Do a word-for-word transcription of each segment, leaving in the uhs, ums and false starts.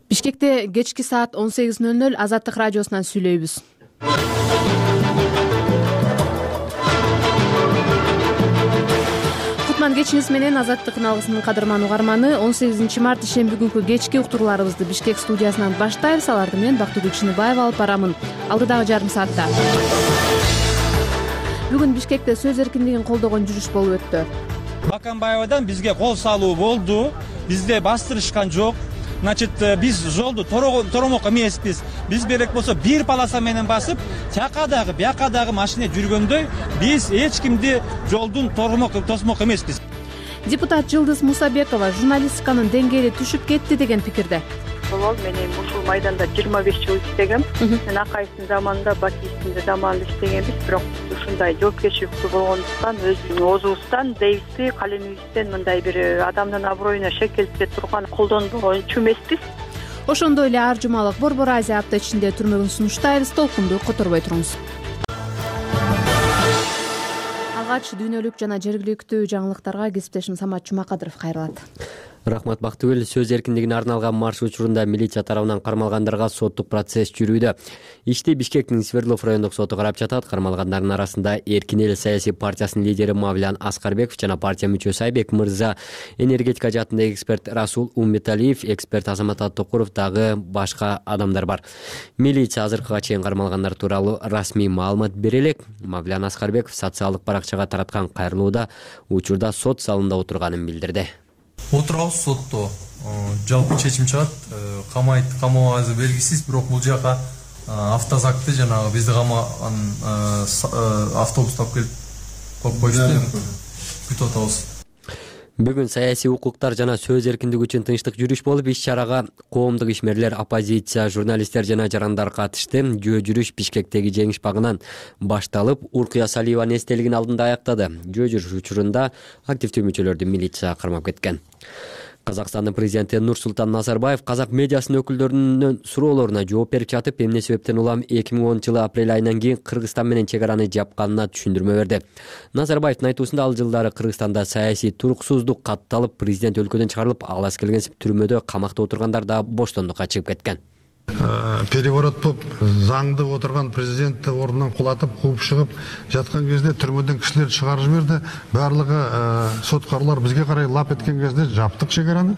Бишкекте кечки саат он сегиз ноль ноль Азаттык радиосунан сүйлөйбүз. Кутман кечиңиз менен Азаттыктын алгысынын кадырман угарманы. он сегизинчи март ишемби күнкү кечки уктурууларыбызды Бишкек студиясынан баштайбыз. Аларды мен Бактыгүл Чыныбаева алып барамын. Алдыдагы жарым саатта бүгүн Бишкекте сөз эркиндигин колдогон жүрүш болуп өттү. Баканбаевадан бизге кол салуу болду. Бизде бастырышкан жок. Значит, биз жолду торомок эмеспиз. Биз керек болсо бир полоса менен басып, тияка дагы, бияка дагы машина жүргөндөй, биз эч кимди жолдун торомок тосмок эмеспиз. Депутат Жылдыз Мусабекова журналистиканын деңгээли түшүп кетти деген пикирде. Болол, мен ушул майданда жыйырма беш жыл иштегем. Мен Акаевдин заманында, Бакиевдин заманында иштегенбиз, бирок ушундай жоопкерчиликтүү болгондуктан, өзүбүздүн оозубуздан, дейбизби, калемибизден мындай бир адамдын аброюна шекелтип турган колдонбогончу эмеспиз. Ошондой эле ар жумалык Борбор Азия апта ичинде түрмөгүн сунуштайбыз. Толкунду которбой туруңуз. Алгач дүйнөлүк жана жергиликтүү жаңылыктарга кесиптешим Самат Жумакадыров кайрылат. Рахмат Бактыгүл. Сөз эркиндигине арналган марш учурунда милиция тарабынан кармалгандарга соттук процесс жүрүүдө. Ишти Бишкектин Свердлов райондук соту карап жатат. Кармалгандардын арасында Эркин эл саясий партиясынын лидери Мавлян Аскарбеков жана партия мүчөсү Айбек Мырза, энергетика жаатындагы эксперт Расул Умметалиев, эксперт Азамат Аттокуров дагы башка адамдар бар. Милиция азыркыга чейин кармалгандар тууралуу расмий маалымат бере элек. Мавлян Аскарбеков социалдык баракчага тараткан кайрылууда учурда сот залында отурганын билдирди. Отурабыз сотто. Жалпы чечим чыгат. Камайт, камабазы белгисиз, бирок бул жака автозакты жанагы бизди камаган автобус тап келип коюп коюшту. Күтүп атабыз. Бүгүн саясий укуктар жана сөз эркиндиги үчүн тынчтык жүрүш болуп, иш-чарага коомдук ишмерлер, оппозиция, журналисттер жана жарандар катышты. Жөө жүрүш Бишкектеги жеңиш багынан башталып, Уркуя Салиеванын эстелигинин алдында аяктады. Жөө жүрүш учурунда активдүү мүчөлөрдү милиция кармап кеткен. Казакстандын президенти Нурсултан Назарбаев казак медиасынын өкүлдөрүнүн суроолоруна жооп берип жатып, эмне себептен улам эки миң онунчу жылы апрель айынан кийин Кыргызстан менен чек араны жапканына түшүндүрмө берди. Назарбаевдин айтуусунда ал жылдары Кыргызстанда саясий туруксуздук катталып, президент өлкөдөн чыгарылып, алас келгенсип түрмөдө камакта отургандар да боштондукка чыгып кеткен. Переворот болуп, заңды отурган президентти ордунан кулатып, кууп чыгып жаткан кезде түрмөдөн кишилер чыгарып жиберди. Баардыгы соткарлар бизге карай лап эткен кезде жаптык чек араны.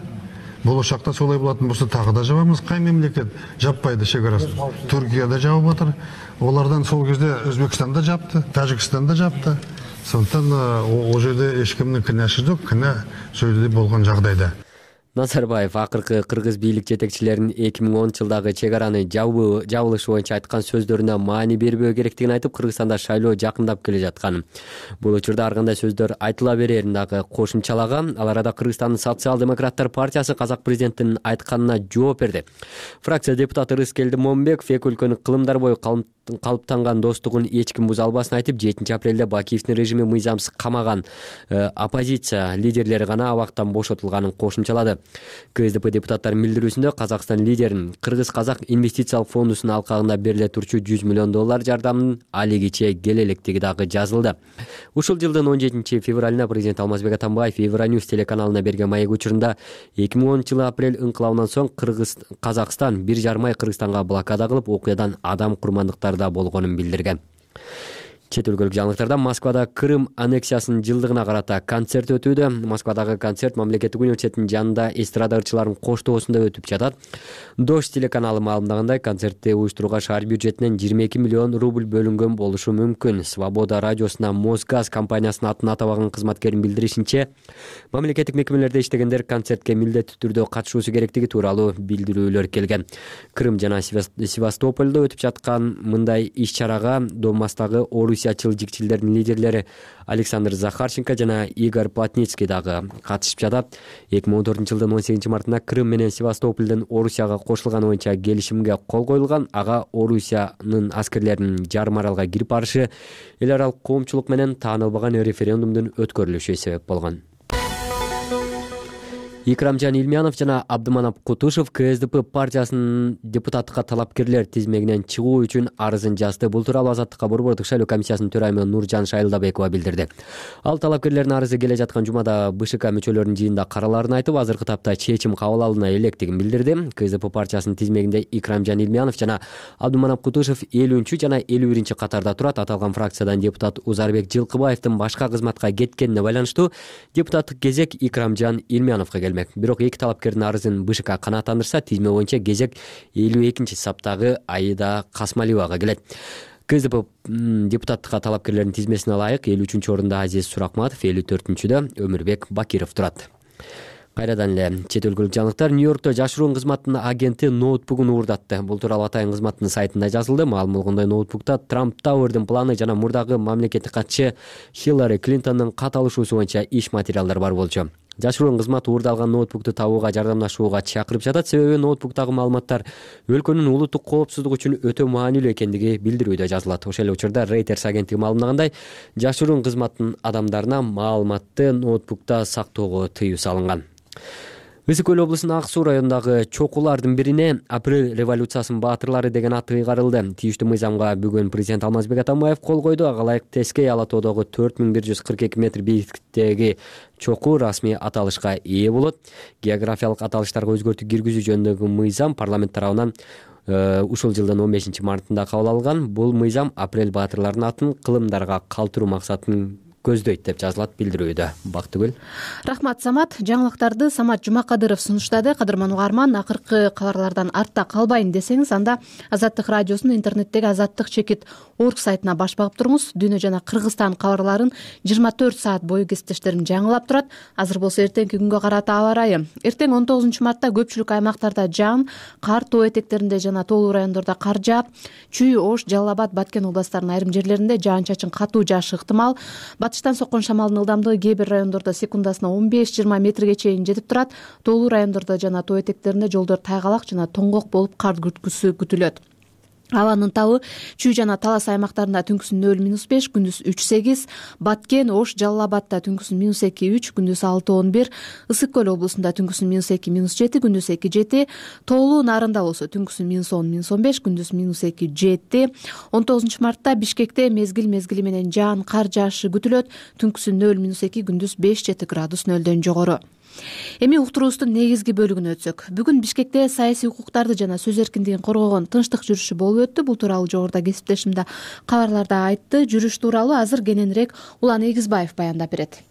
Болочакта солай болатын болсо дагы да жабабыз. Кай мемлекет жаппайды чек арасын? Түркия да жабып атыр. Олардан сол кезде Өзбекстан да жапты, Тажикстан да жапты. Сондуктан ол жерде эч кимдин кінәсі жок, кінә сөйдө болгон жагдайда. Назарбаев акыркы кыргыз бийлик жетекчилеринин эки миң онунчу жылдагы чек араны жабылышы боюнча айткан сөздөрүнө маани бербөө керектигин айтып, Кыргызстанда шайлоо жакындап келе жатканын, бул учурда ар кандай сөздөр айтыла берерин дагы кошумчалаган. Ал арада Кыргызстандын социал-демократтар партиясы казак президентинин айтканына жооп берди. Фракция депутаты Рыскелди Момбеков эки өлкөнүн кылымдар бою калыптанган достугун эч ким буза албасын айтып, жетинчи апрелде Бакиевдин режими мыйзамсыз камаган оппозиция лидерлери гана абактан бошотулганын кошумчалады. КСДП депутаттарынын билдирүүсүндө Казакстан лидерин Кыргыз-Казак инвестициялык фондунун алкагында бериле турчу жүз миллион доллар жардамын алигиче келе электиги дагы жазылды. Ушул жылдын он жетинчи февралына президент Алмазбек Атамбаев Евроньюз телеканалына берген маек учурунда эки миң онунчу жылы апрель инкылабынан соң Кыргыз Казакстан бир жарым ай Кыргызстанга блокада кылып, окуядан адам курмандыктарда болгонун билдирген. Чет өлкөлүк жаңылыктарда Москвада Крым аннексиясынын жылдыгына карата концерт өтүүдө. Москвадагы концерт мамлекеттик университеттин жанында эстрада ырчыларынын коштоосунда өтүп жатат. Дождь телеканалы маалымдагандай, концертти уюштурууга шаар бюджетинен жыйырма эки миллион рубль бөлүнгөн болушу мүмкүн. Свобода радиосуна Мосгаз компаниясынын атын атабаган кызматкердин билдиришинче, мамлекеттик мекемелерде иштегендер концертке милдеттүү түрдө катышуусу керектиги тууралуу билдирүүлөр келген. Крым жана Севастопольдо өтүп жаткан мындай иш-чарага Донбасстагы орусиячыл жикчилдердин лидерлери Александр Захарченко жана Игорь Плотницкий дагы катышып жатат. эки миң он төртүнчү жылдын он сегизинчи мартында Крым менен Севастопольдун Орусияга кошулганы боюнча келишимге кол коюлган. Ага Орусиянын аскерлеринин жарым аралга кирип барышы эл аралык коомчулук менен таанылбаган референдумдун өткөрүлүшү себеп болгон. Икрамжан Илмянов жана Абдыманап Кутушев КСДП партиясынын депутаттыкка талапкерлер тизмегинен чыгуу үчүн арызын жазды. Бул тууралуу Азаттыкка Борбордук шайлоо комиссиясынын төрайымы Нуржан Шайылдабекова билдирди. Ал талапкерлердин арызы келе жаткан жумада БШК мүчөлөрүнүн жыйынында каралаарын айтып, азыркы тапта чечим кабыл алына электигин билдирди. КСДП партиясынын тизмегинде Икрамжан Илмянов жана Абдыманап Кутушев элүүнчү жана элүү биринчи катарда турат. Аталган фракциядан депутат Узарбек Жылкыбаевдин башка кызматка кеткенине байланыштуу депутаттык кезек Икрамжан Илмяновго келмек. Бирок эки талапкердин арызын БШК канааттандырса, тизме боюнча кезек элүү экинчи саптагы Аида Касмалиевага келет. КСДП депутаттыкка талапкерлердин тизмесине ылайык элүү үчүнчү орунда Азиз Суракматов, элүү төртүнчүдө Өмүрбек Бакиров турат. Кайрадан эле чет өлкөлүк жаңылыктар. Нью-Йоркто жашыруун кызматтын агенти ноутбугун уурдатты. Бул тууралуу атайын кызматтын сайтында жазылды. Маалым болгондой, ноутбукта Трамп Тауэрдин планы жана мурдагы мамлекеттик катчы Хиллари Клинтондун кат алышуусу боюнча иш материалдар бар болчу. Жашыруун кызмат уурдалган ноутбукту табууга жардамдашууга чакырып жатат. Себеби ноутбуктагы маалыматтар өлкөнүн улуттук коопсуздугу үчүн өтө маанилүү экендиги билдирүүдө жазылат. Ошол эле учурда Reuters агенттиги маалымдагандай, жашыруун кызматтын адамдарына маалыматты ноутбукта сактоого тыюу салынган. Ысык көл облусунун Ак Суу районундагы чокулардын бирине Апрель революциясынын баатырлары деген ат ыйгарылды. Тийиштүү мыйзамга бүгүн президент Алмазбек Атамбаев кол койду. Ага ылайык Тескей ала тоодогу төрт миң бир жүз кырк эки метр бийиктиктеги чокуу расмий аталышка ээ болот. Географиялык аталыштарга өзгөртүү киргизүү жөнүндөгү мыйзам парламент тарабынан ушул жылдын он бешинчи мартында кабыл алынган. Бул мыйзам Апрель баатырларынын атын кылымдарга калтыруу максатын көздөйт деп жазылат билдирүүдө. Бактыгүл. Рахмат, Самат. Жаңылыктарды Самат Жумакадыров сунуштады. Кадырман угарман, акыркы кабарлардан артта калбайын десеңиз, анда Азаттык радиосунун интернеттеги азаттык чекит орг сайтына баш багып туруңуз. Дүйнө жана Кыргызстан кабарларын жыйырма төрт саат бою кесиптештерим жаңылап турат. Азыр болсо эртеңки күнгө карата аба ырайы. Эртең он тогузунчу мартта көпчүлүк аймактарда жаан, кар, тоо этектеринде жана тоолуу райондордо кар жаап, Чүй, Ош, Жалал Абад, Баткен областарынын айрым жерлеринде жаан-чачын катуу жаашы ыктымал. Батыштан соккон шамалдын ылдамдыгы кээ бир райондордо секундасына он беш жыйырма метрге чейин жетип турат. Тоолуу райондордо жана тоо этектеринде жолдор тайгалак жана тоңгок болуп кар күрткүсү күтүлөт. Абанын табы Чүй жана Талас аймактарында түнкүсүн нөл минус беш, күндүз үч сегиз, Баткен, Ош, Жалал Абадта түнкүсүн минус эки үч, күндүз алты он бир, Ысык көл облусунда түнкүсүн минус эки минус жети, күндүз эки жети, Тоолуу Нарында болсо түнкүсүн минус он минус он беш, күндүз минус эки жети. он тогузунчу мартта Бишкекте мезгил мезгили менен жаан, кар жаашы күтүлөт. Түнкүсүн нөл минус эки, күндүз беш жети градус нөлдөн жогору. Эми уктуруубуздун негизги бөлүгүнө өтсөк. Бүгүн Бишкекте саясий укуктарды жана сөз эркиндигин коргогон тынчтык жүрүшү болуп өттү. Бул тууралуу жогоруда кесиптешимде кабарларда айтты. Жүрүш тууралуу азыр кененирээк Улан Эгизбаев баяндап берет.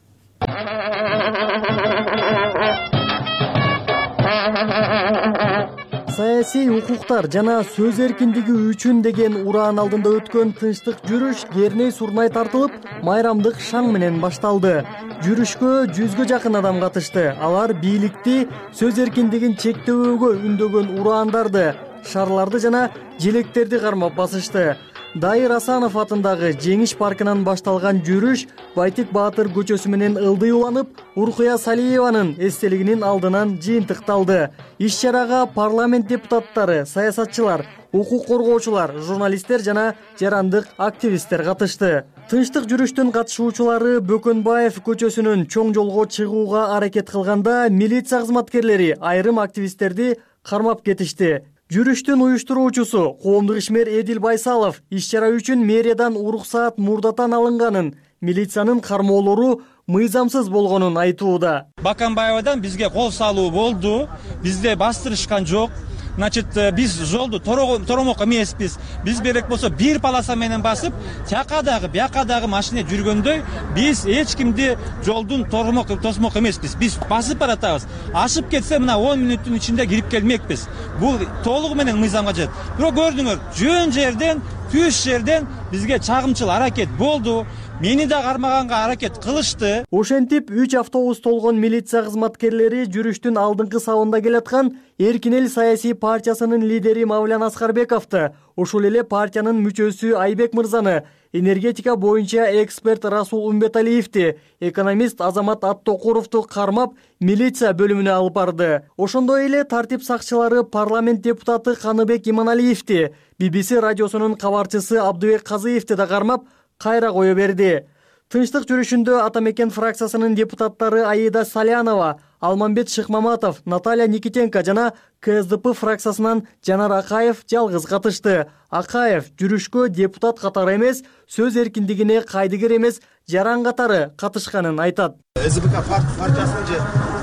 Саясий укуктар жана сөз эркиндиги үчүн деген ураан алдында өткөн тынчтык жүрүш Керней Сурнай тартылып, майрамдык шаң менен башталды. Жүрүшкө жүзгө жакын адам катышты. Алар бийликти сөз эркиндигин чектөөгө үндөгөн ураандарды, шарларды жана желектерди кармап басышты. Дайыр Асанов атындагы Жеңиш паркынан башталган жүрүш Байтик Баатыр көчөсү менен ылдый уланып, Уркуя Салиеванын эстелигинин алдынан жыйынтыкталды. Иш-чарага парламент депутаттары, саясатчылар, укук коргоочулар, журналисттер жана жарандык активисттер катышты. Тынчтык жүрүштүн катышуучулары Бөкөнбаев көчөсүнөн чоң жолго чыгууга аракет кылганда милиция кызматкерлери айрым активисттерди кармап кетишти. Жүрүштүн уюштуруучусу коомдук ишмер Эдил Байсалов иш-чара үчүн мэриядан уруксаат мурдатан алынганын, милициянын кармоолору мыйзамсыз болгонун айтууда. Баканбаевадан бизге кол салуу болду. Бизде бастырышкан жок. Значит, биз жолду торомок эмеспиз. Биз берек болсо бир полоса менен басып, тияка дагы, бияка дагы машина жүргөндөй, биз эч кимди жолдун торомок тосмок эмеспиз. Биз басып баратабыз. Ашып кетсе мына он мүнөттүн ичинде кирип келмекпиз. Бул толугу менен мыйзамга жатат. Бирок көрдүңөр, жөн жерден, түз жерден бизге чагымчыл аракет болду. Мени да кармаганга аракет кылышты. Ошентип үч автобус толгон милиция кызматкерлери жүрүштүн алдыңкы сабында келаткан Эркин эл саясий партиясынын лидери Мавлян Аскарбековду, ошол эле партиянын мүчөсү Айбек мырзаны, энергетика боюнча эксперт Расул Умбеталиевди, экономист Азамат Аттокуровду кармап милиция бөлүмүнө алып барды. Ошондой эле тартип сакчылары парламент депутаты Каныбек Иманалиевди, би би си радиосунун кабарчысы Абдыбек Казыевди да кармап кайра кое берди. Тынчтык жүрүшүндө Ата Мекен фракциясынын депутаттары Аида Салянова, Алмамбет Шыкмаматов, Наталья Никитенко жана Ка Эс Д П фракциясынан Жанар Акаев жалгыз катышты. Акаев жүрүшкө депутат катары эмес, сөз эркиндигине кайдыгер эмес, жаран катары катышканын айтат. С Д П К партиясынын же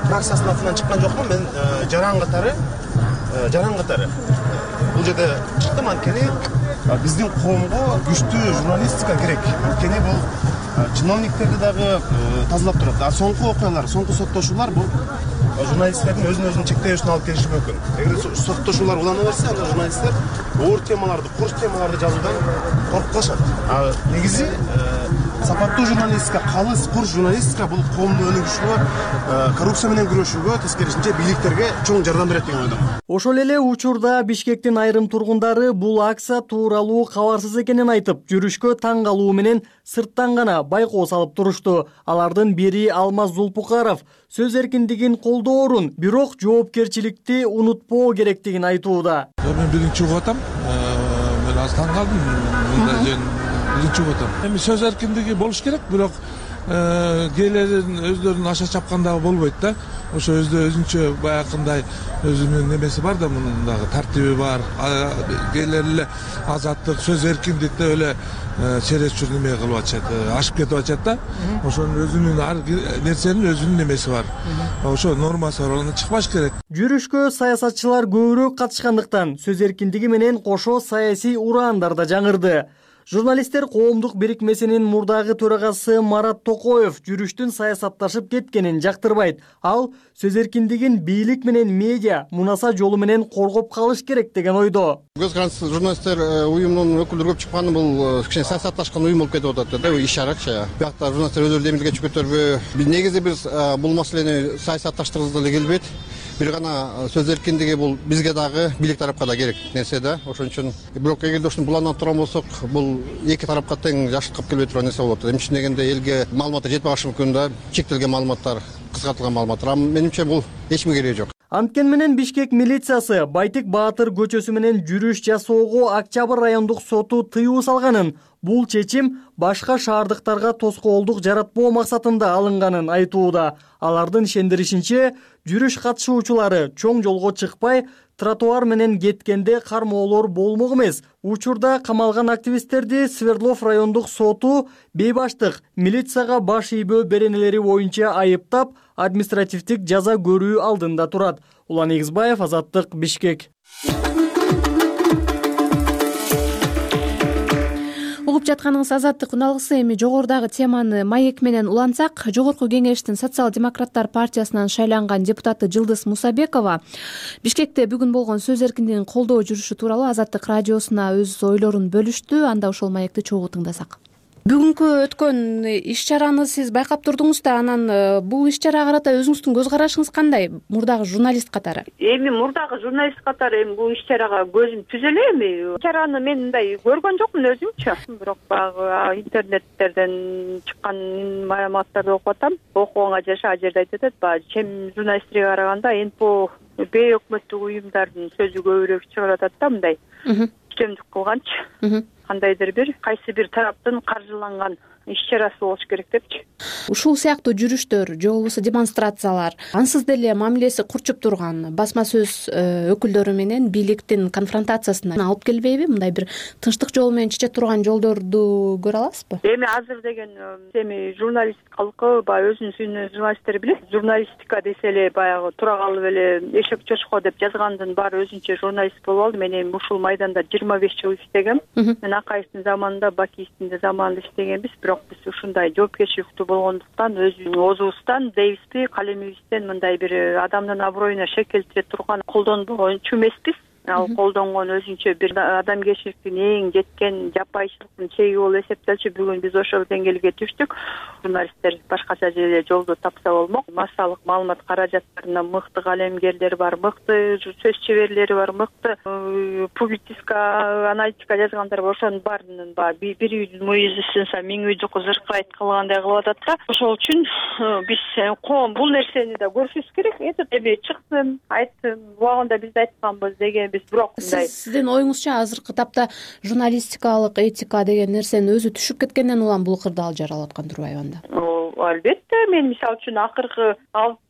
фракциясынын атынан чыккан жокмун, мен жаран катары, жаран катары. Бул жерде чыктым, анткени биздин коомго күчтүү журналистика керек. Анткени бул чиновниктерди дагы тазалап турат. А соңку окуялар, соңку соттошуулар бул журналисттердин өзүн өзүн чектешине алып келиши мүмкүн. Эгер соттошуулар улана берсе, анда журналисттер оор темаларды, курч темаларды жазуудан коркуп калышат. А негизи сапаттуу журналистика, калыс, курч журналистика бул коомду өнүгүшүгө, коррупция менен күрөшүүгө, тескерисинче бийликтерге чоң жардам берет деген ойдомун. Ошол эле учурда Бишкектин айрым тургундары бул акция тууралуу кабарсыз экенин айтып, жүрүшкө таң калуу менен сырттан гана байкоо салып турушту. Алардын бири Алмаз Зулпукаров сөз эркиндигин колдоорун, бирок жоопкерчиликти унутпоо керектигин айтууда. Мен биринчи угуп атам. Мен аз таң калдым. Биринчи угуп атам. Эми сөз эркиндиги болуш керек, бирок кээлерин өздөрүн аша чапкандагы болбойт да. Ошо өзү өзүнчө баягындай өзүнүн немеси бар да, мунун дагы тартиби бар. Кээлер эле азаттык, сөз эркиндик деп эле чересчур неме кылып атышат, ашып кетип атышат да. Ошонун өзүнүн ар нерсенин өзүнүн немеси бар. Ошо нормасы бар, андан чыкпаш керек. Жүрүшкө саясатчылар көбүрөөк катышкандыктан сөз эркиндиги менен кошо саясий ураандар да жаңырды. Журналисттер коомдук бирикмесинин мурдагы төрагасы Марат Токоев жүрүштүн саясатташып кеткенин жактырбайт. Ал сөз эркиндигин бийлик менен медиа мунаса жолу менен коргоп калыш керек деген ойдо. Көз карандысыз журналисттер уюмунун өкүлдөрү көп чыкканы бул кичине саясатташкан уюм болуп кетип атат да, ишарачы. Биякта журналисттер өздөрү демилге чыгып кетерби? Негизи биз бул маселени саясатташтыргыбыз деле келбейт. Бир гана сөз эркиндиги бул бизге дагы бийлик тарапка да керек нерсе да. Ошон үчүн бирок эгерде ушуну буланып турган болсок, бул эки тарапка тең жакшылыкка келбей турган нерсе болот. Эмне үчүн дегенде элге маалыматтар жетпей калышы мүмкүн да, чектелген маалыматтар, кыскартылган маалыматтар. Менимче бул эч кимге кереги жок. Анткени менен Бишкек милициясы Байтик Баатыр көчөсү менен жүрүш жасоого Октябрь райондук соту тыюу салганын, бул чечим башка шаардыктарга тоскоолдук жаратпоо максатында алынганын айтууда. Алардын ишендиришинче, жүрүш катышуучулары чоң жолго чыкпай, тротуар менен кеткенде кармоолор болмок эмес. Учурда камалган активисттерди Свердлов райондук соту бейбаштык, милицияга баш ийбөө беренелери боюнча айыптап, административдик жаза көрүү алдында турат. Улан Игизбаев, Азаттык, Бишкек. Угуп жатканыңыз Азаттык уналгысы. Эми жогорудагы теманы маек менен улантсак, жогорку кеңештин социал-демократтар партиясынан шайланган депутаты Жылдыз Мусабекова Бишкекте бүгүн болгон сөз эркиндигин колдоо жүрүшү тууралуу Азаттык радиосуна өз ойлорун бөлүштү. Анда ошол маекти чогуу тыңдасак. Бүгүнкү өткөн иш-чараны сиз байкап турдуңуз да, анан бул иш-чарага карата өзүңүздүн көз карашыңыз кандай, мурдагы журналист катары? Эми мурдагы журналист катары эми бул иш-чарага көзүм түзө эле. Эми иш-чараны мен мындай көргөн жокмун өзүмчө. Бирок баягы интернеттерден чыккан маалыматтарды окуп атам. Окуганга жаша ал жерде айтып атат, баягы чем журналисттерге караганда эн пэ о бейөкмөттүк уюмдардын сөзү көбүрөөк чыгып атат да, мындай үстөмдүк кылганчы. Кандайдыр бир кайсы бир тараптын каржыланган иш-чарасы болуш керек депчи. Ушул сыяктуу жүрүштөр же болбосо демонстрациялар ансыз деле мамилеси курчуп турган басма сөз өкүлдөрү менен бийликтин конфронтациясына алып келбейби? Мындай бир тынчтык жолу менен чече турган жолдорду көрө аласызбы? Эми азыр деген эми журналист калкы баягы өзүнүн сүйүнөн журналисттер билет. Журналистика десе эле баягы тура калып эле эшек чочко деп жазгандын баары өзүнчө журналист болуп алды. Мен эми ушул майданда жыйырма беш жыл иштегем. Мен Акаевдин заманында, Бакиевдин да заманында иштегенбиз. Бирок биз ушундай жоопкерчиликтүү болгондуктан өзүбүздүн оозубуздан, дейбизби, калемибизден мындай бир адамдын аброюна шек келтире турган колдонбогончу эмеспиз. Ал колдонгон өзүнчө бир адамгерчиликтин эң жеткен жапайычылыктын чеги болуп эсептелчү. Бүгүн биз ошол деңгээлге түштүк. Журналисттер башкача жерде жолду тапса болмок. Массалык маалымат каражаттарында мыкты калемгерлер бар, мыкты сөз чеберлери бар, мыкты публицистика, аналитика жазгандар бар. Ошонун баарынын баягы бир үйдүн мүйүзү сынса миң үйдү кызыркайт кылгандай кылып атат да. Ошол үчүн биз коом бул нерсени да көрүшүбүз керек. Эми чыктым, айттым, убагында биз да айтканбыз деген эмес, бирок мындай. Сиздин оюңузча азыркы тапта журналистикалык этика деген нерсенин өзү түшүп кеткенден улам бул кырдаал жаралып аткан турбайбы анда? Албетте, мен мисалы үчүн акыркы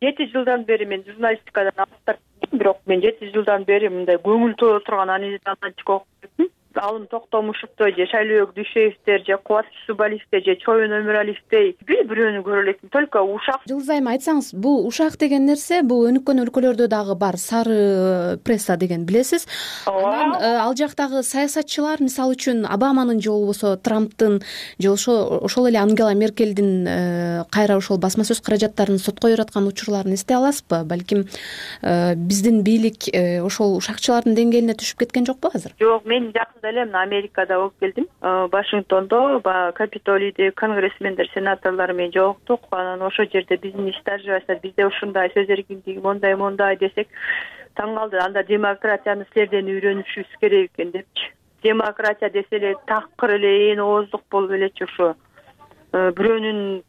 жети жылдан бери мен журналистикадан алыстап кеттим, бирок мен жети жылдан бери мындай көңүл толо турган аналитик окуп кеттим. Алым Токтомушевдой же Шайлообек Дүйшеевдер же Кубат Субалиевдер же Чоюн Өмүралиевдей бир бирөөнү көрө электим, только ушак. Жылдыз айым, айтсаңыз, бул ушак деген нерсе бул өнүккөн өлкөлөрдө дагы бар, сары пресса деген билесиз. Анан ал жактагы саясатчылар, мисалы үчүн Обаманын же болбосо Трамптын же ошол ошол эле Ангела Меркелдин кайра ошол басма сөз каражаттарын сотко бераткан учурларын эстей аласызбы? Балким биздин бийлик ошол ушакчылардын деңгээлине түшүп кеткен жокпу азыр? Жок, мен эле мына Америкада болуп келдим. Вашингтондо баягы Капитолийде конгрессмендер, сенаторлор менен жолуктук. Анан ошол жерде биздин иштер жибайсыздар, бизде ушундай сөз эркиндиги мондай мондай десек, таң калды. Анда демократияны силерден үйрөнүшүбүз керек экен депчи. Демократия десе эле такыр эле ээн ооздук болуп элечи, ошо бирөөнүн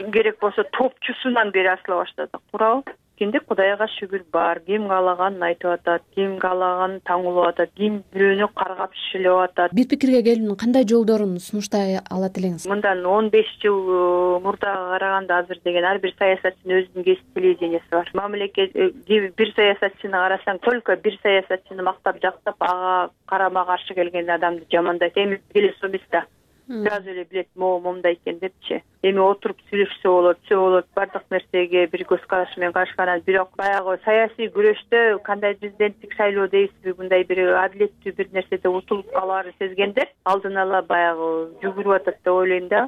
керек болсо топчусунан бери асыла баштадык, туурабы? Кимде Кудайга шүгүр бар, ким каалаганын айтып атат, ким каалаганын таңулап атат, ким бирөөнү каргап шилеп атат. Бир пикирге келүүнүн кандай жолдорун сунуштай алат элеңиз? Мындан он беш жыл мурдага караганда азыр деген ар бир саясатчынын өзүнүн кесип телевиденияси бар. Мамлекет бир саясатчыны карасаң, только бир саясатчыны мактап жактап, ага карама каршы келген адамды жамандайт. Эми келе сомес да. Сразу эле билет, могу момундай экен депчи. Эми отуруп сүйлөшсө болот, все болот, бардык нерсеге бир көз караш менен карашкан. Бирок баягы саясий күрөштө кандай президенттик шайлоо дейсизби, мындай бир адилеттүү бир нерседе утулуп калаарын сезгендер алдын ала баягы жүгүрүп атат деп ойлойм да.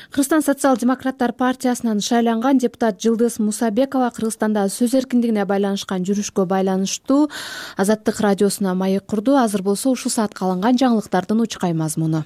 Кыргызстан социал-демократтар партиясынан шайланган депутат Жылдыз Мусабекова Кыргызстанда сөз эркиндигине байланышкан жүрүшкө байланыштуу Азаттык радиосуна маек курду. Азыр болсо ушул саатка алынган жаңылыктардын учкай мазмуну.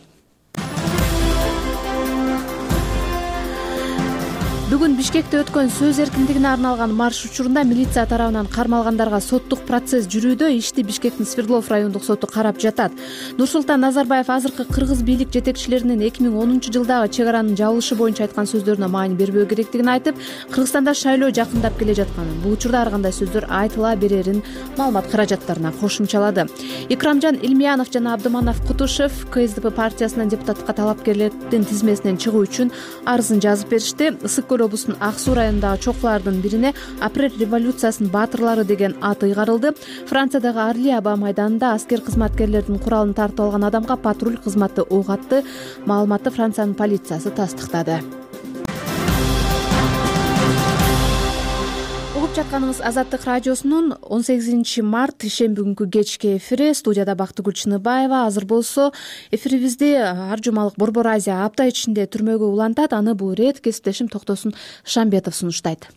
Бүгүн Бишкекте өткөн сөз эркиндигине арналган марш учурунда милиция тарабынан кармалгандарга соттук процесс жүрүүдө. Ишти Бишкектин Свердлов райондук соту карап жатат. Нурсултан Назарбаев азыркы кыргыз бийлик жетекчилеринин эки миң онунчу жылдагы чек аранын жабылышы боюнча айткан сөздөрүнө маани бербөө керектигин айтып, Кыргызстанда шайлоо жакындап келе жатканын, бул учурда ар кандай сөздөр айтыла берерин маалымат каражаттарына кошумчалады. Икрамжан Илмиянов жана Абдыманов Кутушев КСДП партиясынын депутаттыкка талапкерлердин тизмесинен чыгуу үчүн арызын жазып беришти. Облустун Ак Суу районундагы чокулардын бирине апрель революциясынын баатырлары деген ат ыйгарылды. Франциядагы Арли аба майданында аскер кызматкерлердин куралын тартып алган адамга патруль кызматы ок атты. Маалыматты Франциянын полициясы тастыктады. Угуп жатканыңыз Азаттык радиосунун он сегизинчи март ишемби күнкү кечки эфири. Студияда Бактыгүл Чыныбаева. Азыр болсо эфирибизди ар жумалык Борбор Азия апта ичинде түрмөгө улантат. Аны бул ирет кесиптешим Токтосун Шамбетов сунуштайт.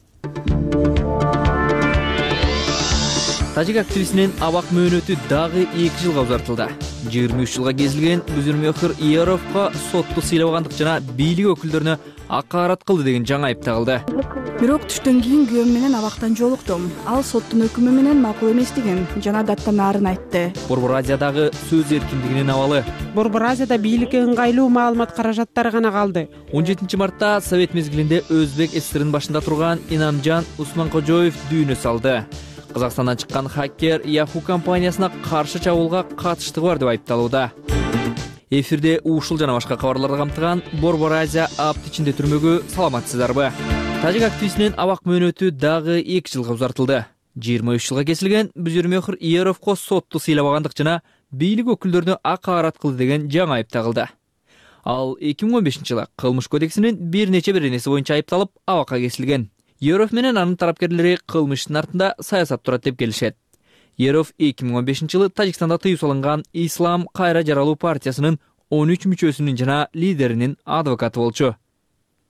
Тажик активистинин абак мөөнөтү дагы эки жылга узартылды. жыйырма үч жылга кезилген Бүзүрмөхүр Иеровго сотту сыйлабагандык жана бийлик өкүлдөрүнө акаарат кылды деген жаңы айып тагылды. Бирок түштөн кийин күйөөм менен абактан жолуктум. Ал соттун өкүмү менен макул эместигин жана даттан арын айтты. Борбор Азиядагы сөз эркиндигинин абалы. Борбор Азияда бийликке ыңгайлуу маалымат каражаттары гана калды. он жетинчи мартта Совет мезгилинде Өзбек ССРинин башында турган Инамжан Усманкожоев дүйнө салды. Казакстандан чыккан хакер Yahoo компаниясына каршы чабуулга катыштыгы бар деп айыпталууда. Эфирде ушул жана башка кабарларды камтыган Борбор Азия апта ичинде түрмөгө саламатсыздарбы? Тажик активистинин абак мөөнөтү дагы эки жылга узартылды. жыйырма үч жылга кесилген Бүзүрмөхүр Иеровго сотту сыйлабагандык жана бийлик өкүлдөрүнө акаарат кылды деген жаңы айып тагылды. Ал эки миң он бешинчи жылы кылмыш кодексинин бир нече беренеси боюнча айыпталып абакка кесилген. Иеров менен анын тарапкерлери кылмыштын артында саясат турат деп келишет. Иеров эки миң он бешинчи жылы Тажикстанда тыюу салынган Ислам кайра жаралуу партиясынын он үч мүчөсүнүн жана лидеринин адвокаты болчу.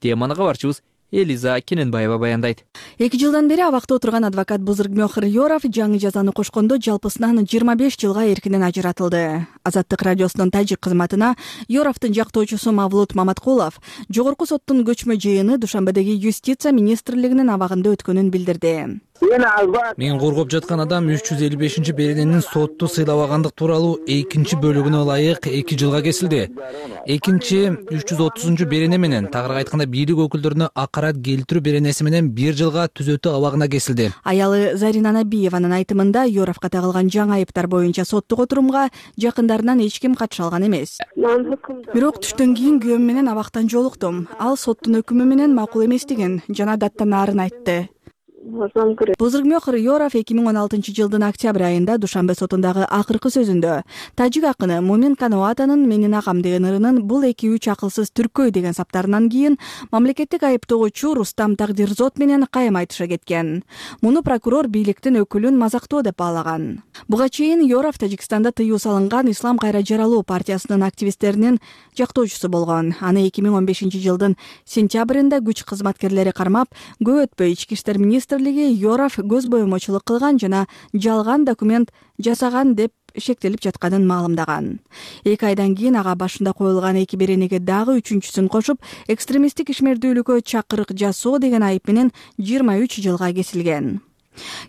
Теманы кабарчыбыз Элиза Кененбаева баяндайт. эки жылдан бери абакта отурган адвокат Бүзүрмөхүр Иеров жаңы жазаны кошкондо жалпысынан жыйырма беш жылга эркинен ажыратылды. Азаттык радиосунун тажик кызматына Yorovдун жактоочусу Мавлут Маматкулов жогорку соттун көчмө жыйыны Душанбедеги юстиция министрлигинин абагында өткөнүн билдирди. Мен коргоп жаткан адам үч жүз элүү бешинчи берененин сотту сыйлабагандык тууралуу экинчи бөлүгүнө ылайык эки жылга кесилди. Экинчи үч жүз отузунчу берене менен, тагыраак айтканда бийлик өкүлдөрүнө акарат келтирүү беренеси менен бир жылга түзөтүү абагына кесилди. Аялы Зарина Набиеванын айтымында Yorovго тагылган жаңы айыптар боюнча соттук отурумга жакындарынан эч ким катыша алган эмес. Бирок түштөн кийин күйөөм менен абактан жолуктум. Ал соттун өкүмү менен макул эместигин жана даттан арын айтты. Бузургмёхор Yorov эки миң он алтынчы жылдын октябрь айында Душанбе сотундагы акыркы сөзүндө тажик акыны Мумин Каноатанын менин агам деген ырынын бул эки үч акылсыз түркөй деген саптарынан кийин мамлекеттик айыптоочу Рустам Тагдирзот менен кайым айтыша кеткен. Муну прокурор бийликтин өкүлүн мазактоо деп баалаган. Буга чейин Yorov Тажикстанда тыюу салынган Ислам кайра жаралуу партиясынын активисттеринин жактоочусу болгон. Аны эки миң он бешинчи жылдын сентябрында күч кызматкерлери кармап, көп өтпөй ички иштер министрлиги Yorov көз боемочулук кылган жана жалган документ жасаган деп шектелип жатканын маалымдаган. Эки айдан кийин ага башында коюлган эки беренеге дагы үчүнчүсүн кошуп, экстремисттик ишмердүүлүккө чакырык жасоо деген айып менен жыйырма үч жылга кесилген.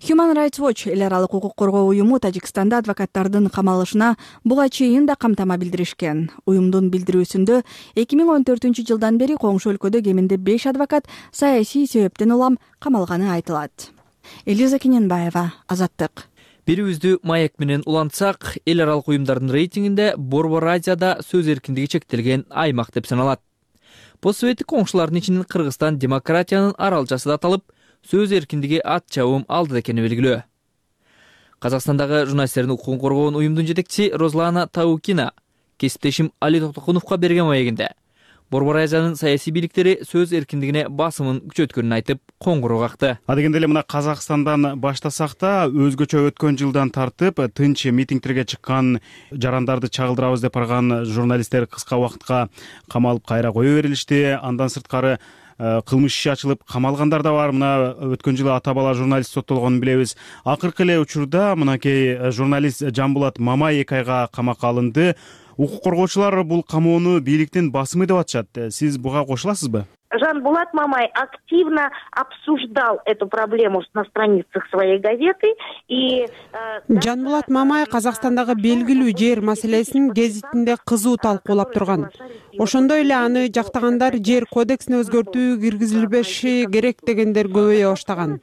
Human Rights Watch эл аралык укук коргоо уюму Тажикстанда адвокаттардын камалышына буга чейин да камтама билдиришкен. Уюмдун билдирүүсүндө эки миң он төртүнчү жылдан бери коңшу өлкөдө кеминде беш адвокат саясий себептен улам камалганы айтылат. Элиза Кененбаева, Азаттык. Бирибизди маек менен улантсак, эл аралык уюмдардын рейтингинде Борбор Азияда сөз эркиндиги чектелген аймак деп саналат. Постсоветтик коңшулардын ичинен Кыргызстан демократиянын аралчасы да аталып, сөз эркиндиги ат чабым алды экени белгилүү. Казакстандагы журналисттердин укугун коргоон уюмдун жетекчиси Розлана Таукина кесиптешим Али Токтокуновго берген маегинде Борбор Азиянын саясий бийликтери сөз эркиндигине басымын күчөткөнүн айтып, коңгуроо какты. Адегенде эле мына Казакстандан баштасак да, өзгөчө өткөн жылдан тартып тынч митингтерге чыккан жарандарды чагылдырабыз деп барган журналисттер кыска убакытка камалып кайра кое берилишти. Андан сырткары кылмыш иши ачылып камалгандар да бар. Мына өткөн жылы ата бала журналист соттолгонун билебиз. Акыркы эле учурда мынакей журналист Жамбулат Мамай эки айга камакка алынды. Укук коргоочулар бул камоону бийликтин басымы деп атышат. Сиз буга кошуласызбы? Жанбулат Мамай активно обсуждал эту проблему на страницах своей газеты и Жанбулат Мамай Казакстандагы белгилүү жер маселесин гезитинде кызуу талкуулап турган. Ошондой эле аны жактагандар жер кодексине өзгөртүү киргизилбеши керек дегендер көбөйө баштаган.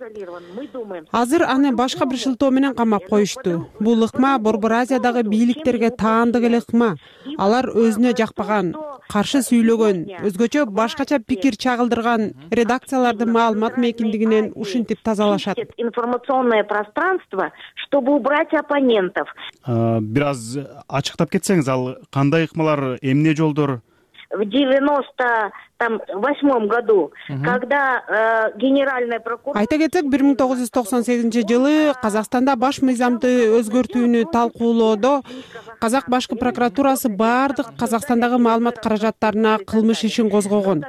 Азыр аны башка бир шылтоо менен камап коюшту. Бул ыкма Борбор Азиядагы бийликтерге таандык эле ыкма. Алар өзүнө жакпаган, каршы сүйлөгөн, өзгөчө башкача пикир чагылдырган редакциялардын маалымат мейкиндигинен ушинтип тазалашат. Информационное пространство, чтобы убрать оппонентов. Бир аз ачыктап кетсеңиз, ал кандай ыкмалар, эмне жолдор? В девяносто восьмом году, когда э, генеральная прокуратура... Айта кетсек, бир миң тогуз жүз токсон сегизинчи жылы Казакстанда баш мыйзамды өзгөртүүнү талкуулоодо Казак башкы прокуратурасы бардык Казакстандагы маалымат каражаттарына кылмыш ишин козгогон.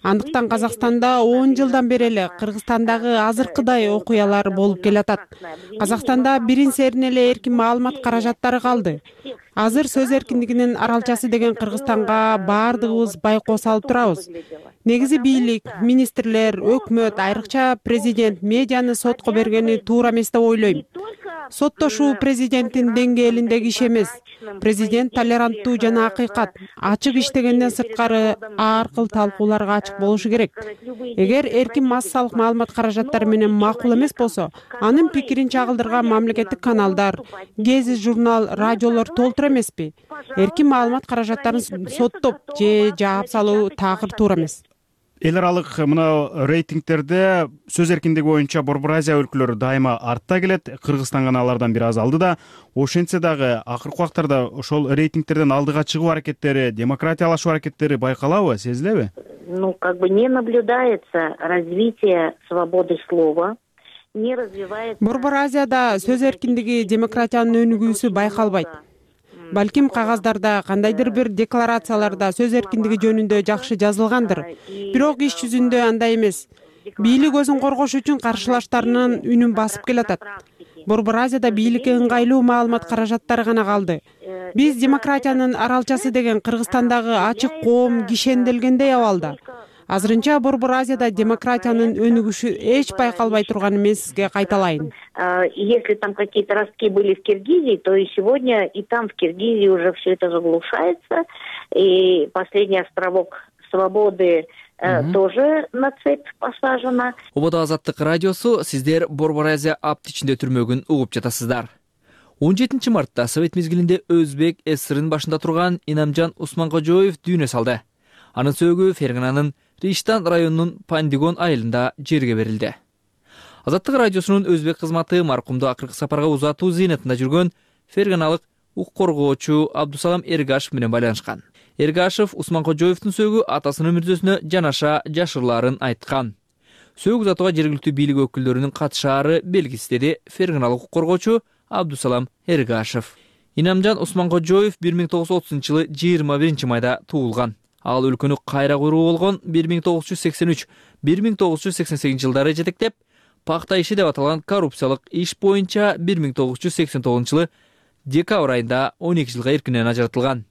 Андыктан Казакстанда он жылдан бери эле Кыргызстандагы азыркыдай окуялар болуп келатат. Казакстанда бирин серин эле эркин маалымат каражаттары калды. Азыр сөз эркиндигинин аралчасы деген Кыргызстанга бардыгыбыз байкоо салып турабыз. Негизи бийлик, министрлер, өкмөт, айрыкча президент медианы сотко бергени туура эмес деп ойлойм. Соттошуу президенттин деңгээлиндеги иш эмес. Президент толеранттуу жана акыйкат, ачык иштегенден сырткары ар кыл талкууларга ачык болушу керек. Эгер эркин массалык маалымат каражаттары менен макул эмес болсо, анын пикирин чагылдырган мамлекеттик каналдар, гезит журнал, радиолор толтура эмеспи? Эркин маалымат каражаттарын соттоп же жаап салуу такыр туура эмес. Эл аралык мына рейтингтерде сөз эркиндиги боюнча Борбор Азия өлкөлөрү дайыма артта келет. Кыргызстан гана алардан бир аз алды да. Ошентсе дагы акыркы убактарда ошол рейтингтерден алдыга чыгуу аракеттери, демократиялашуу аракеттери байкалабы, сезилеби? Ну, как бы не наблюдается развитие свободы слова. Не развивается... Борбор Азияда сөз эркиндиги, демократиянын өнүгүүсү байкалбайт. Балким кагаздарда, кандайдыр бир декларацияларда сөз эркиндиги жөнүндө жакшы жазылгандыр. Бирок иш жүзүндө андай эмес. Бийлик өзүн коргош үчүн каршылаштарынын үнүн басып келатат. Борбор Азияда бийликке ыңгайлуу маалымат каражаттары гана калды. Биз демократиянын аралчасы деген Кыргызстандагы ачык коом кишенделгендей абалда. Азырынча Борбор Азияда демократиянын өнүгүшү эч байкалбай турганын мен сизге кайталайын. Если там какие-то ростки были в Киргизии, то и сегодня и там в Киргизии уже все это заглушается. И последний островок свободы тоже на цепь посажена. Убада Азаттык радиосу, сиздер Борбор Азия аптичинде түрмөгүн угуп жатасыздар. он жетинчи мартта Совет мезгилинде Өзбек ССРнын башында турган Инамжан Усманкожоев дүйнө салды. Анын сөөгү Фергананын Риштан районунун Пандигон айылында жерге берилди. Азаттык радиосунун өзбек кызматы маркумду акыркы сапарга узатуу зыйнатында жүргөн ферганалык укук коргоочу Абдусалам Эргашев менен байланышкан. Эргашев Усманкожоевдун сөөгү атасынын мүрзөсүнө жанаша жашырларын айткан. Сөөгү узатууга жергиликтүү бийлик өкүлдөрүнүн катышаары белгисиз, деди ферганалык укук коргоочу Абдусалам Эргашев. Инамжан Усманкожоев бир миң тогуз жүз отузунчу жылы жыйырма биринчи майда туулган. Ал өлкөнү кайра куруу болгон бир миң тогуз жүз сексен үч — бир миң тогуз жүз сексен сегизинчи жылдары жетектеп, пакта иши деп аталган коррупциялык иш боюнча бир миң тогуз жүз сексен тогузунчу жылы декабрь айында он эки жылга эркинен ажыратылган.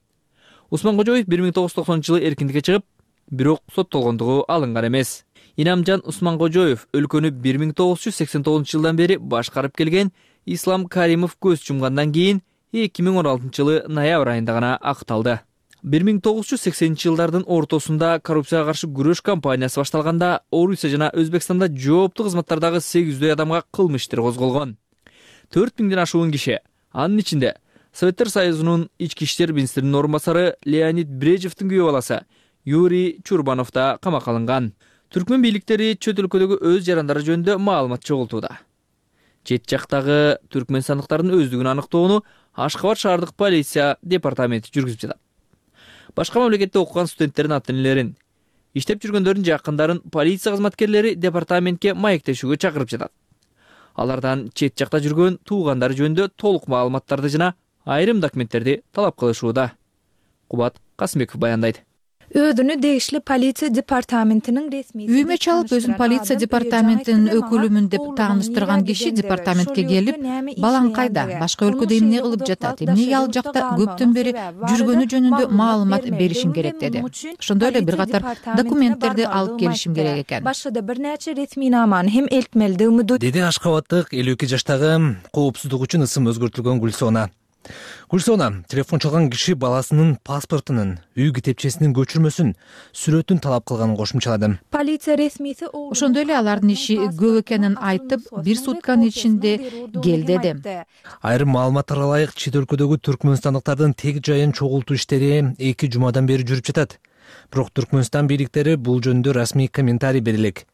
Усманкожоев бир миң тогуз жүз токсонунчу жылы эркиндикке чыгып, бирок соттолгондугу алынган эмес. Инамжан Усманкожоев өлкөнү бир миң тогуз жүз сексен тогузунчу жылдан бери башкарып келген Ислам Каримов көз жумгандан кийин эки миң он алтынчы жылы ноябрь айында гана акталды. бир миң тогуз жүз сексенинчи жылдардын ортосунда коррупцияга каршы күрөш кампаниясы башталганда Орусия жана Өзбекстанда жооптуу кызматтардагы сегиз жүздөй адамга кылмыш иштер козголгон. төрт миңден ашуун киши, анын ичинде Советтер Союзунун ички иштер министринин орун басары Леонид Брежевдин күйөө баласы Юрий Чурбанов да камакка алынган. Түркмөн бийликтери чөт өлкөдөгү өз жарандары жөнүндө маалымат чогултууда. Чет жактагы түркмөнстандыктардын өздүгүн аныктоону Ашкабад шаардык полиция департаменти жүргүзүп жатат. Башка мамлекетте окуган студенттердин ата-энелерин, иштеп жүргөндөрдүн жакындарын полиция кызматкерлери департаментке маектешүүгө чакырып жатат. Алардан чет жакта жүргөн туугандары жөнүндө толук маалыматтарды жана айрым документтерди талап кылышууда. Кубат Касымбеков баяндайт. Өдүнү дегишле полиция департаментинин ресми үймө чалып өзүн полиция департаментинин өкүлүмүн деп тааныштырган киши департаментке келип, балаң кайда, башка өлкөдө эмне кылып жатат, эмнеге ал жакта көптөн бери жүргөнү жөнүндө маалымат беришим керек деди. Ошондой эле бир катар документтерди алып келишим керек экен. Башында бир нече ресминаманы hem элтмелди үмүдү деди Ашкабаттык элүү эки жаштагы коопсуздук үчүн ысым өзгөртүлгөн Гүлсона. Гүлсона телефон чалган киши баласынын паспортунун, үй китепчесинин көчүрмөсүн, сүрөтүн талап кылганын кошумчалады. Полиция ресмиси ошондой эле алардын иши көп экенин айтып, бир сутканын ичинде кел деди. Айрым маалыматтарга ылайык, чет өлкөдөгү түркмөнстандыктардын тег жайын чогултуу иштери эки жумадан бери жүрүп жатат. Бирок Түркмөнстан бийликтери бул жөнүндө расмий комментарий бере элек.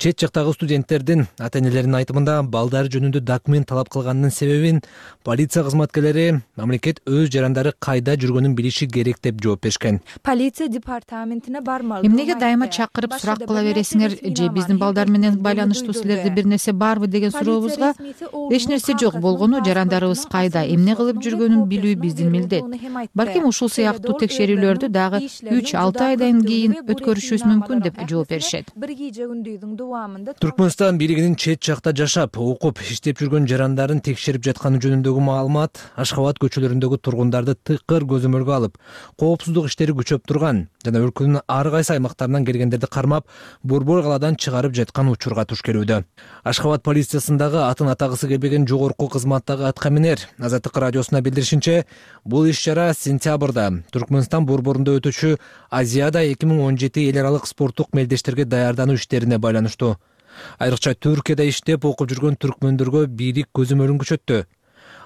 Чет жактагы студенттердин ата-энелеринин айтымында балдары жөнүндө документ талап кылганынын себебин полиция кызматкерлери мамлекет өз жарандары кайда жүргөнүн билиши керек деп жооп беришкен. Полиция департаментине бармал. Эмнеге дайыма чакырып сурак кыла бересиңер, же биздин балдар менен байланыштуу силерде бир нерсе барбы деген сурообузга эч нерсе жок болгону, жарандарыбыз кайда, эмне кылып жүргөнүн билүү биздин милдет. Балким ушул сыяктуу текшерүүлөрдү дагы үч алты айдан кийин өткөрүшүбүз мүмкүн деп жооп беришет. Түркмөнстан бийлигинин чет жакта жашап, окуп, иштеп жүргөн жарандарын текшерип жатканы жөнүндөгү маалымат Ашкабад көчөлөрүндөгү тургундарды тыкыр көзөмөлгө алып, коопсуздук иштери күчөп турган жана өлкөнүн ар кайсы аймактарынан келгендерди кармап, борбор калаадан чыгарып жаткан учурга туш келүүдө. Ашкабад полициясындагы атын атагысы келбеген жогорку кызматтагы аткаминер Азаттык радиосуна билдиришинче, бул иш-чара сентябрда Түркмөнстан борборунда өтүүчү Азияда эки миң он жети эл аралык спорттук мелдештерге даярдануу иштерине байланыштуу. Айрыкча Түркияда иштеп окуп жүргөн түркмөндөргө бийлик көзөмөлүн күчөттү.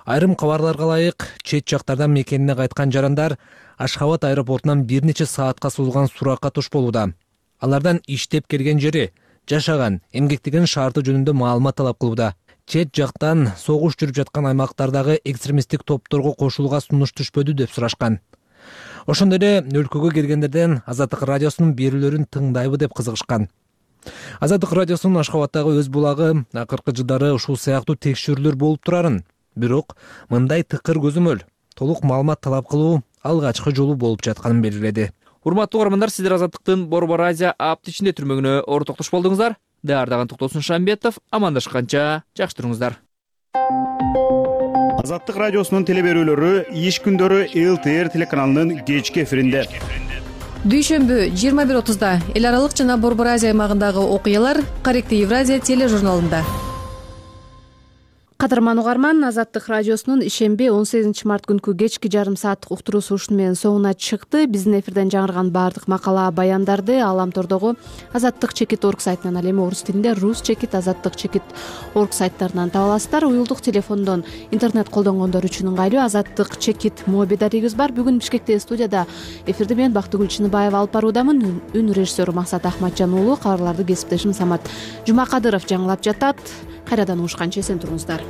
Айрым кабарларга ылайык, чет жактардан мекенине кайткан жарандар Ашкабад аэропортунан бир нече саатка созулган суракка туш болууда. Алардан иштеп келген жери, жашаган, эмгектеген шарты жөнүндө маалымат талап кылууда. Чет жактан согуш жүрүп жаткан аймактардагы экстремисттик топторго кошулууга сунуш түшпөдү деп сурашкан. Ошондой эле өлкөгө келгендерден Азаттык радиосунун берүүлөрүн тыңдайбы деп кызыгышкан. Азаттык радиосунун Ашкабадтагы өз булагы акыркы жылдары ушул сыяктуу текшерүүлөр болуп турарын, бирок мындай тыкыр көзөмөл, толук маалымат талап кылуу алгачкы жолу болуп жатканын белгиледи. Урматтуу угармандар, сиздер Азаттыктын Борбор Азия аптичинде түрмөгүнө ортоктош болдуңуздар. Даярдаган Токтосун Шамбетов, амандашканча жакшы туруңуздар. Азаттык радиосунун теле берүүлөрү иш күндөрү эл тэ эр телеканалынын кечки эфиринде. Дүйшөмбү жыйырма бир отузда эл аралык жана Борбор Азия аймагындагы окуялар Каректи Евразия тележурналында. Кадырман угарман, Азаттык радиосунун ишемби он сегизинчи март күнкү кечки жарым сааттык уктуруусу ушуну менен соңуна чыкты. Биздин эфирден жаңырган баардык макала, баяндарды Аламтордогу азаттык чекит точка орг сайтынан, ал эми орус тилинде рус чекит азаттык чекит точка орг сайттарынан таба аласыздар. Уюлдук телефондон интернет колдонгондор үчүн ыңгайлуу азаттык чекит моби дарегибиз бар. Бүгүн Бишкектеги студияда эфирди мен Бактыгүл Чыныбаева алып баруудамын. Үн режиссеру Максат Ахматжан уулу, кабарларды кесиптешим Самат Жумакадыров жаңылап жатат. Кайрадан угушканча эсен туруңуздар.